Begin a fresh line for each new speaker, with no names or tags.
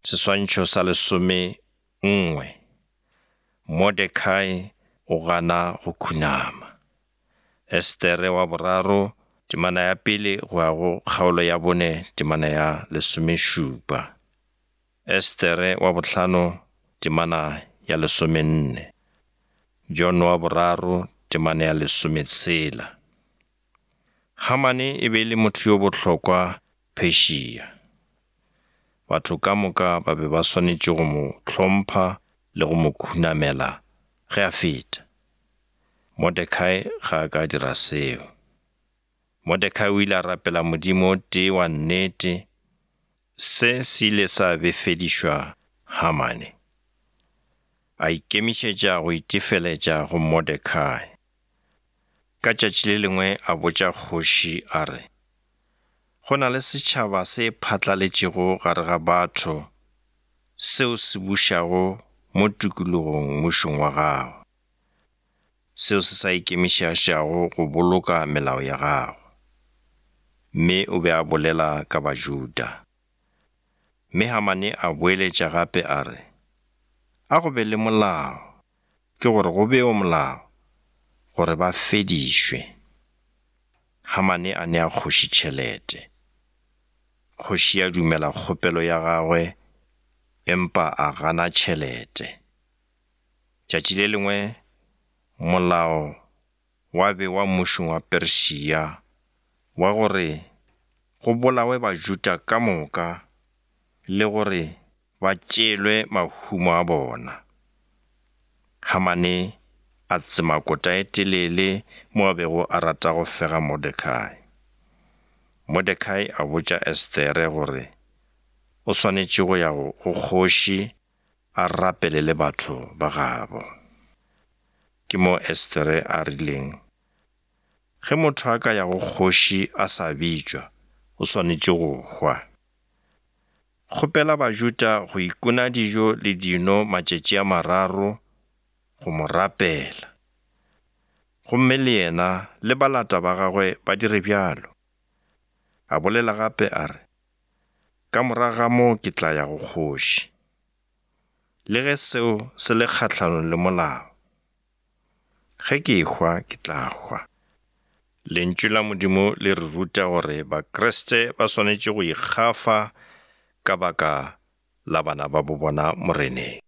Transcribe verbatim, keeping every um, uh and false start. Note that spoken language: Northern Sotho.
Seswantšho sa lesome nngwe. Mordekai o gana go khunama. Estere wa boraro, temana ya pele go ya go kgaolo ya bone temana ya lesomešupa. Estere wa bohlano, temana ya lesomenne. John wa boraro, temana ya lesometshela. Hamane e be e le motho yo bohlokwa Persia. Batho ka moka ba be ba swanetše go mo hlompha le go mo khunamela ge a feta. Mordekai ga a ka dira seo. Mordekai o ile a rapela Modimo o tee wa nnete. Se se ile sa befedišwa Hamane. A ikemišetša go itefeletša go Mordekai. Ka tšatši le lengwe a botša kgoši a re, go na le setšhaba se phatlaletšego gare ga batho seo se bušago mo tikologong mmušong wa gago, seo se sa ikemišetšago go boloka melao ya gago. Mme o be a bolela ka Bajuda. Mme Hamane a boeletša gape a re, a go be le molao, ke gore go bewe molao, gore ba fedišwe. Hamane a nea kgoši tšhelete. Kgoši ya dumela kgopelo ya gagwe, empa a gana tšhelete. Tšatši le lengwe molao wa bewa mmušong wa Persia wa gore go bolawe Bajuda ka moka le gore ba tšeelwe mahumo a bona. Hamane a tsema kota e telele mo a bego a rata go fega Mordekai. Mordekai a botša Estere gore o swanetše go ya go kgoši a rapele le batho ba gabo. Ke mo Estere a rileng, ge motho a ka ya go kgoši a sa bitšwa, o swanetše go hwa. Kgopela Bajuda go ikuna dijo le dino matšatši a mararo go mo rapela. Gomme le yena le balata ba gagwe ba dire bjalo. A bolela gape a re, ka morago ga moo ke tla ya go kgoši. Le ge seo se le kgahlanong le molao. Ge ke ehwa ke tla hwa. Lentšu la Modimo le re ruta gore Bakriste ba swanetše go ikgafa ka baka la bana ba bo bona Moreneng.